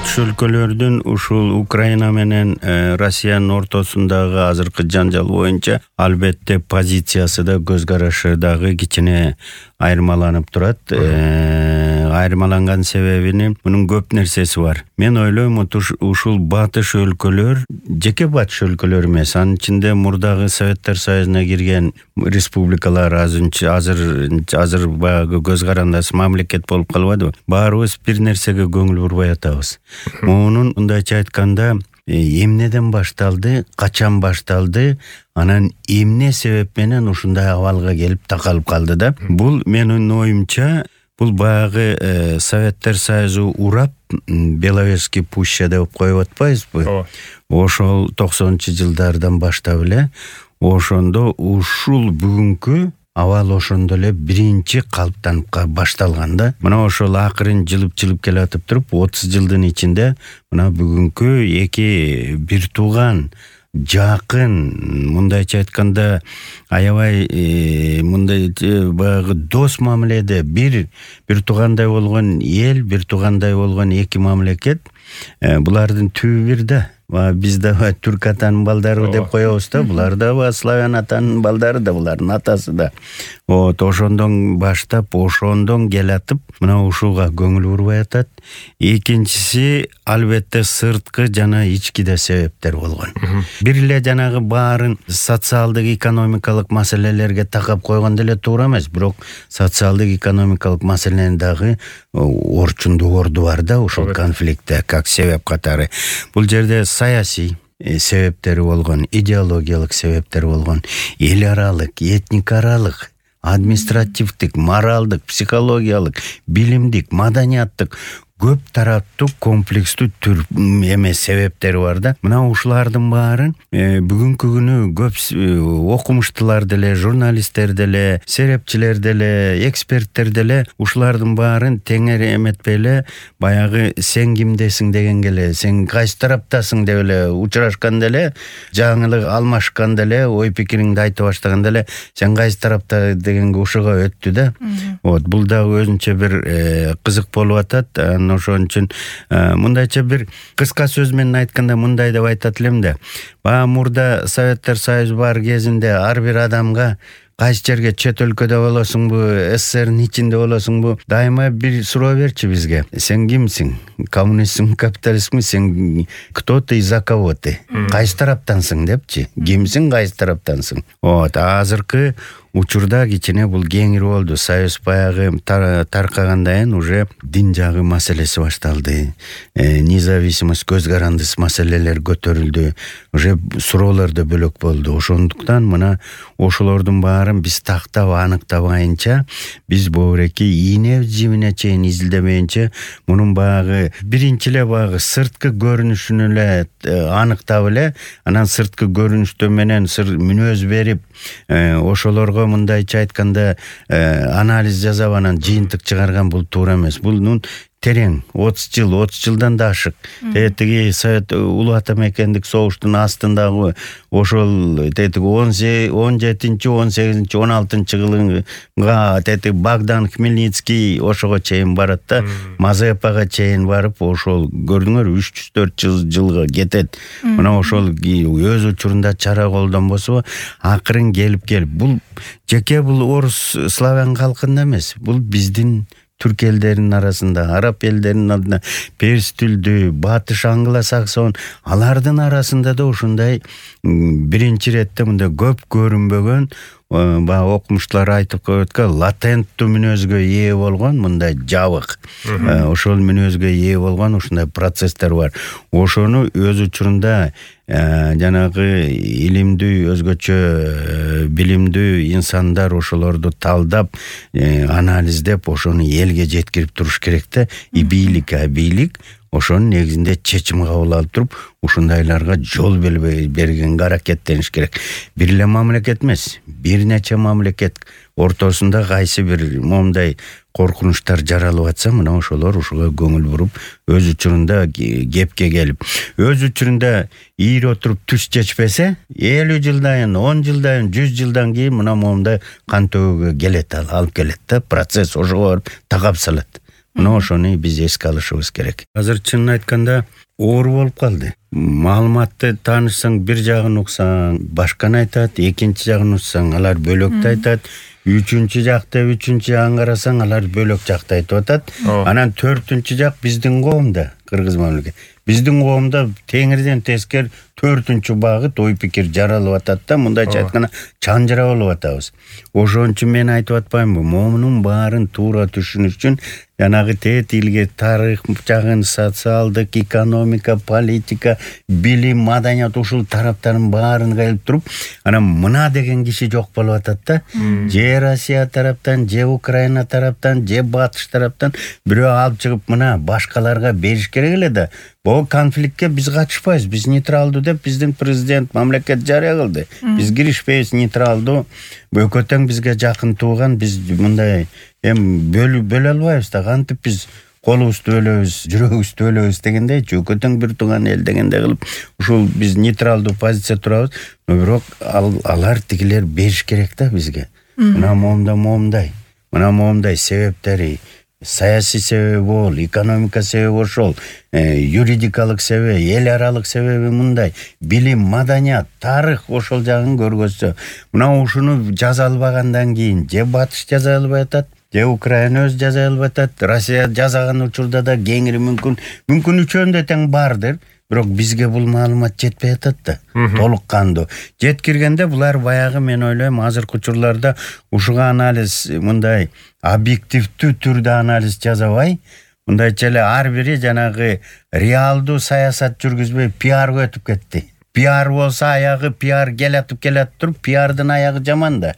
Батыш өлкөлөрдүн ушул Украина менен Россиянын ортосундагы азыркы жанжал боюнча албетте позициясы да көз карашы дагы кичине айырмаланып турат. Айырмаланган себебинин мунун көп нерсеси бар. Мен ойлойм, ушул батыш өлкөлөр жеке батыш өлкөлөр эмес, анын ичинде мурдагы Советтер Союзуна кирген республикалар азыр баягы көз карандас мамлекет болуп калбадыбы? Баарыбыз бир нерсеге көңүл бурбай атабыз. Мунун мындайча айтканда эмнеден башталды, качан башталды, анан эмне себеп менен ушундай абалга келип такалып калды да. Бул менин оюмча, бул баягы Советтер Союзу урап Беловежский пуща деп коюп атпайбызбы? Ошол 90-жылдардан баштап эле ошондо ушул бүгүнкү абал ошондо эле биринчи калыптанып башталган да. Мына ошол акырын жылып келатып туруп 30 жылдын ичинде мына бүгүнкү эки бир тууган жакын, мындайча айтканда аябай мындай баягы дос мамиледе бир туугандай болгон эл, бир туугандай болгон эки мамлекет, булардын түбү бир да. Биз да түрк атанын балдары деп коебуз да, булар да славян атанын балдары да, булардын атасы да. Ошондон баштап, ошондон келатып, мына ушуга көңүл бурбай атат. Экинчиси албетте сырткы жана ички да себептер болгон. Бир эле жанагы баарын социалдык экономикалык маселелерге такап койгондо эле туура эмес, бирок социалдык экономикалык маселенин дагы орчундуу орду бар да ушул конфликтте, как себеп катары. Бул жерде саясий себептери болгон, идеологиялык себептер болгон, эл аралык, этник аралык, административдик, моралдык, психологиялык, билимдик, маданияттык көп тараптуу комплекстүү себептери бар да. Мына ушулардын баарын бүгүнкү күнү көп окумуштуулар деле, журналисттер деле, серепчилер деле, эксперттер деле ушулардын баарын теңер эметпей эле баягы сен кимдесиң дегенге эле, сен кайсы тараптасың деп эле учурашканда эле, жаңылык алмашканда эле, ой пикириңди айта баштаганда эле сен кайсы тарапта дегенге ушуга өттү да. Бул дагы өзүнчө бир кызык болуп атат. Ошон үчүн мындайча бир кыска сөз менен айтканда мындай деп айтат элем да. Баа мурда Советтер Союзу бар кезинде ар бир адамга кайсы жерге, чет өлкөдө болосуңбу, СССРдин ичинде болосуңбу, дайыма бир суроо берчи бизге. Сен кимсиң? Коммунистсиңби, капиталистсиңби? Сен кто ты и за кого ты? Кайсы тараптансың депчи. Кимсиң, кайсы тараптансың? Азыркы учурда кичине бул кеңир болду. Союз баягы таркагандан кийин уже дин жагы маселеси башталды. Независимость, көз карандыс маселелер көтөрүлдү. Уже суроолор да бөлөк болду. Ошондуктан мына ошолордун баарын биз тактап аныктабайынча, биз боореки ийне жимине чейин изилдемейинче мунун баягы биринчи эле баягы сырткы көрүнүшүн эле аныктап эле, анан сырткы көрүнүштөр менен мүнөз берип, ошолорго мындайча айтканда анализ жасап анан жыйынтык чыгарган бул туура эмес. Бул терең 30 жылдан да ашык. Тетиги Совет улуу ата мекендик согуштун астындагы ошол 17-18, 16 жылга тетиги Богдан Хмельницкий ошого чейин барат да, Мазепага чейин барып, ошол көрдүңөр 304 жылга кетет. Мына ошол өз учурунда чара колдонбосо акырын келип бул жеке бул орус славян калкында эмес, бул биздин түрк элдеринин арасында, араб элдеринин алдында, перс тилдүү, батыш англосаксон, алардын арасында да ушундай биринчи иретте мындай көп көрүнбөгөн, окумуштуулар айтып коет, латенттүү мүнөзгө ээ болгон мындай жабык, ошол мүнөзгө ээ болгон ушундай процесстер бар. Ошону өз учурунда жанагы илимдүү, өзгөчө билимдүү инсандар ошолорду талдап, анализдеп, ошону элге жеткирип туруш керек да. Бийлик ошонун негизинде чечим кабыл алып туруп, ушундайларга жол бергенге аракеттениш керек. Бир эле мамлекет эмес, бир нече мамлекет ортосунда кайсы бир момундай коркунучтар жаралып атса, мына ошолор ушуга көңүл буруп, өз учурунда кепке келип, өз учурунда ийири отуруп түз чечпесе, 50 жылдан, 10 жылдан, 100 жылдан кийин мына момундай кан төгүүгө келет, алып келет да, процесс ошого такап салат. Мына ошону биз эске алышыбыз керек. Азыр чынын айтканда оор болуп калды. Маалыматты таанышсаң бир жагын уксаң башканы айтат, экинчи жагын уксаң алар бөлөктү айтат, үчүнчү жакты аңгарасаң алар бөлөк жакты айтып атат. Анан төртүнчү жак биздин коомда, кыргыз мамлекети. Биздин коомда теңирден тескер төртүнчү багыт ой пикир жаралып атат да, мындайча айтканда чанжыра болуп атабыз. Ошон үчүн мен айтып атпаймынбы, момунун баарын туура түшүнүш үчүн жанагы тет илге тарых жагын, социалдык, экономика, политика, билим, маданият ушул тараптарын баарын келип туруп, анан мына деген киши жок болуп атат да. Же Россия тараптан, же Украина тараптан, же Батыш тараптан бирөө алып чыгып мына башкаларга бериш керек эле да. Бул конфликтке биз катышпайбыз. Биз нейтралдуу деп биздин президент мамлекет жарыя кылды. Биз киришпейбиз, нейтралдуу. Бөкөтөң бизге жакын тууган, биз мындай бөлө албайбыз да. Кантип биз колубузду бөлөбүз, жүрөгүбүздү бөлөбүз дегендейчи, өкөтөң бир тууган эл дегендей кылып, ушул биз нейтралдуу позиция турабыз. Бирок алар тигилер бериш керек да бизге. Мына момундай. Мына момундай себептери, саясий себеби бол, экономика себеби ошол, юридикалык себеби, эл аралык себеби мындай, билим, маданият, тарых ошол жагын көргөзсө, мына ушуну жаза албагандан кийин же Батыш жаза албай атат, же Украина өз жаза албай атат, Россия жазаган учурда да кеңири мүмкүн үчөөндө тең бардыр. Бирок бизге бул маалымат жетпей атат да. Толук кандуу. Жеткиргенде булар баягы мен ойлойм азыркы учурларда ушуга анализ мындай объективдүү түрдө анализ жасабай, мындайча эле ар бири жанагы реалдуу саясат жүргүзбөй пиарга өтүп кетти. Пиар болсо аягы пиар келатып туруп, пиардын аягы жаман да.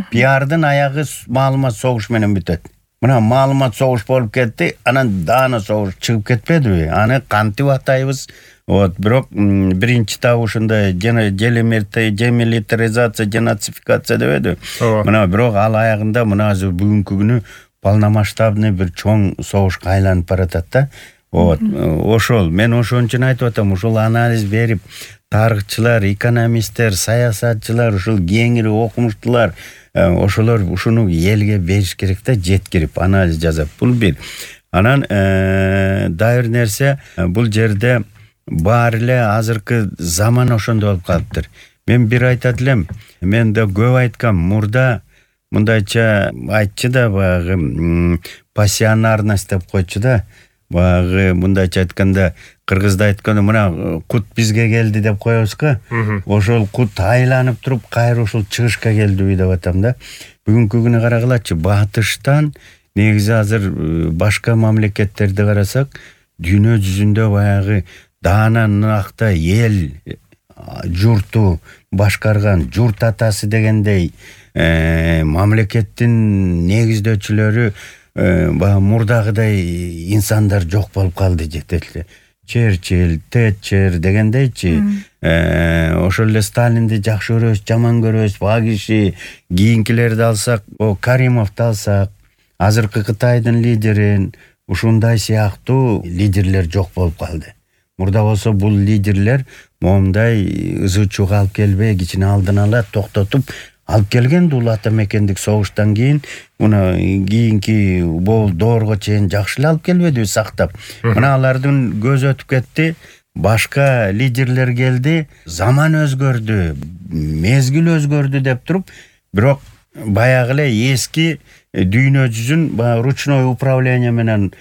Пиардын аягы маалымат согуш менен бүтөт. Мына маалымат согуш болуп кетти, анан даана согуш чыгып кетпедиби? Аны кантип атайбыз? Бирок биринчи табы ушундай демилитаризация, денацификация дебеди. Мына бирок ал аягында мына азыр бүгүнкү күнү полномасштабный бир чоң согушка айланып баратат да. Ошол мен ошон үчүн айтып атам, ушул анализ берип, тарыхчылар, экономисттер, саясатчылар, ушул кеңири окумуштуулар ошолор ушуну элге бериш керек да, жеткирип анализ жасап. Бул бир. Анан дагы бир нерсе, бул жерде баары эле азыркы заман ошондой болуп калыптыр. Мен бир айтат элем, мен да көп айткам, мурда мындайча айтчы да, баягы пассионарность деп койчу да, баягы мындайча айтканда кыргызда айтканда мына кут бизге келди деп коебузго. Ошол кут айланып туруп кайра ушул чыгышка келдиби деп атам да. Бүгүнкү күнү карагылачы, Батыштан негизи азыр башка мамлекеттерди карасак, дүйнө жүзүндө баягы даана накта эл журту башкарган журт атасы дегендей мамлекеттин негиздөөчүлөрү мурдагыдай инсандар жок болуп калды жетели. Черчилль, Тэтчер дегендейчи, ошол эле Сталинди жакшы көрөбүз, жаман көрөбүз, баа киши, кийинкилерди алсак, Каримовду алсак, азыркы Кытайдын лидерин, ушундай сыяктуу лидерлер жок болуп калды. Мурда болсо бул лидерлер момундай ызы-чууга алып келбей, кичине алдын ала токтотуп алып келген ул ата мекендик согуштан кийин, муну кийинки доорго чейин жакшы эле алып келбедиби сактап. Мына алардын көзү өтүп кетти, башка лидерлер келди, заман өзгөрдү, мезгил өзгөрдү деп туруп, бирок баягы эле эски дүйнө жүзүн ручной управление менен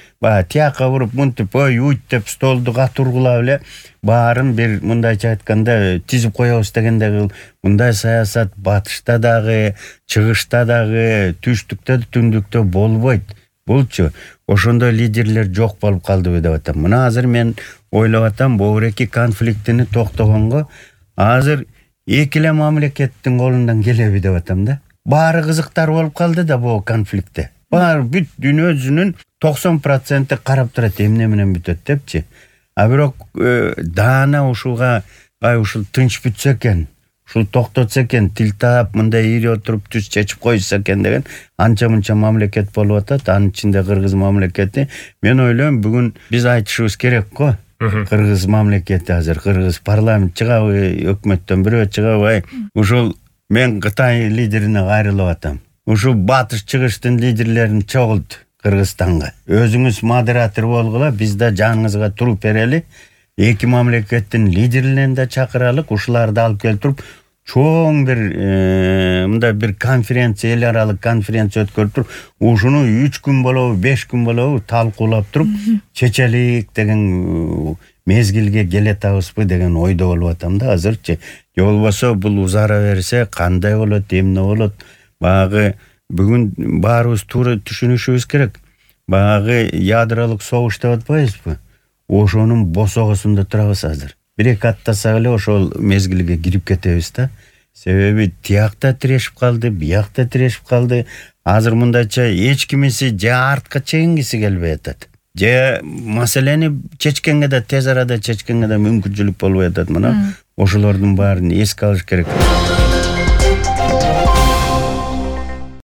тияка буруп, мынтип уйт деп столду катургулап эле баарын бир мындайча айтканда тизип коебуз дегендей мындай саясат Батышта дагы, чыгышта дагы, түштүктө, түндүктө болбойт. Булчу ошондой лидерлер жок болуп калдыбы деп атам. Мына азыр мен ойлоп атам, бул эки конфликтини токтогонго азыр эки эле мамлекеттин колундан келеби деп атам да. Баары кызыктар болуп калды да бул конфликтте. Баары бүт дүйнө жүзүнүн 90% карап турат эмне менен бүтөт депчи. А бирок даана ушуга ушул тынч бүтсө экен, ушул токтотсо экен, тил таап мындай ири отуруп түз чечип койсо экен деген анча-мынча мамлекет болуп атат, анын ичинде Кыргыз мамлекети. Мен ойлойм, бүгүн биз айтышыбыз керек го. Кыргыз мамлекети азыр, Кыргыз парламент чыгабы, өкмөттөн бирөө чыгабы, ушул мен Кытай лидерине кайрылып атам. Ушул Батыш чыгыштын лидерлерин чогулт. Кыргызстанга. Өзүңүз модератор болгула, биз да жаныңызга туруп берели. Эки мамлекеттин лидерлерин да чакыралык, ушуларды алып келип чоң бир мындай бир конференция, эл аралык конференция өткөрүп туруп, ушуну 3 күн болобу, 5 күн болобу талкуулап туруп, чечелик деген мезгилге келетабызбы деген ойдо болуп атам да азырчы. Же болбосо бул узара берсе кандай болот, эмне болот? Багы бүгүн баарыбыз туура түшүнүшүбүз керек. Багы ядролук согуш деп атпайбызбы? Ошонун босогосунда турабыз азыр. Бир-эки аттасак эле ошол мезгилге кирип кетебиз да. Себеби тиякта тирешип калды, биякта тирешип калды. Азыр мындайча эч кимиси же артка чегингиси келбей атат. Же маселени чечкенге да тез арада чечкенге да мүмкүнчүлүк болбой атат. Мына ошолордун баарын эске алыш керек.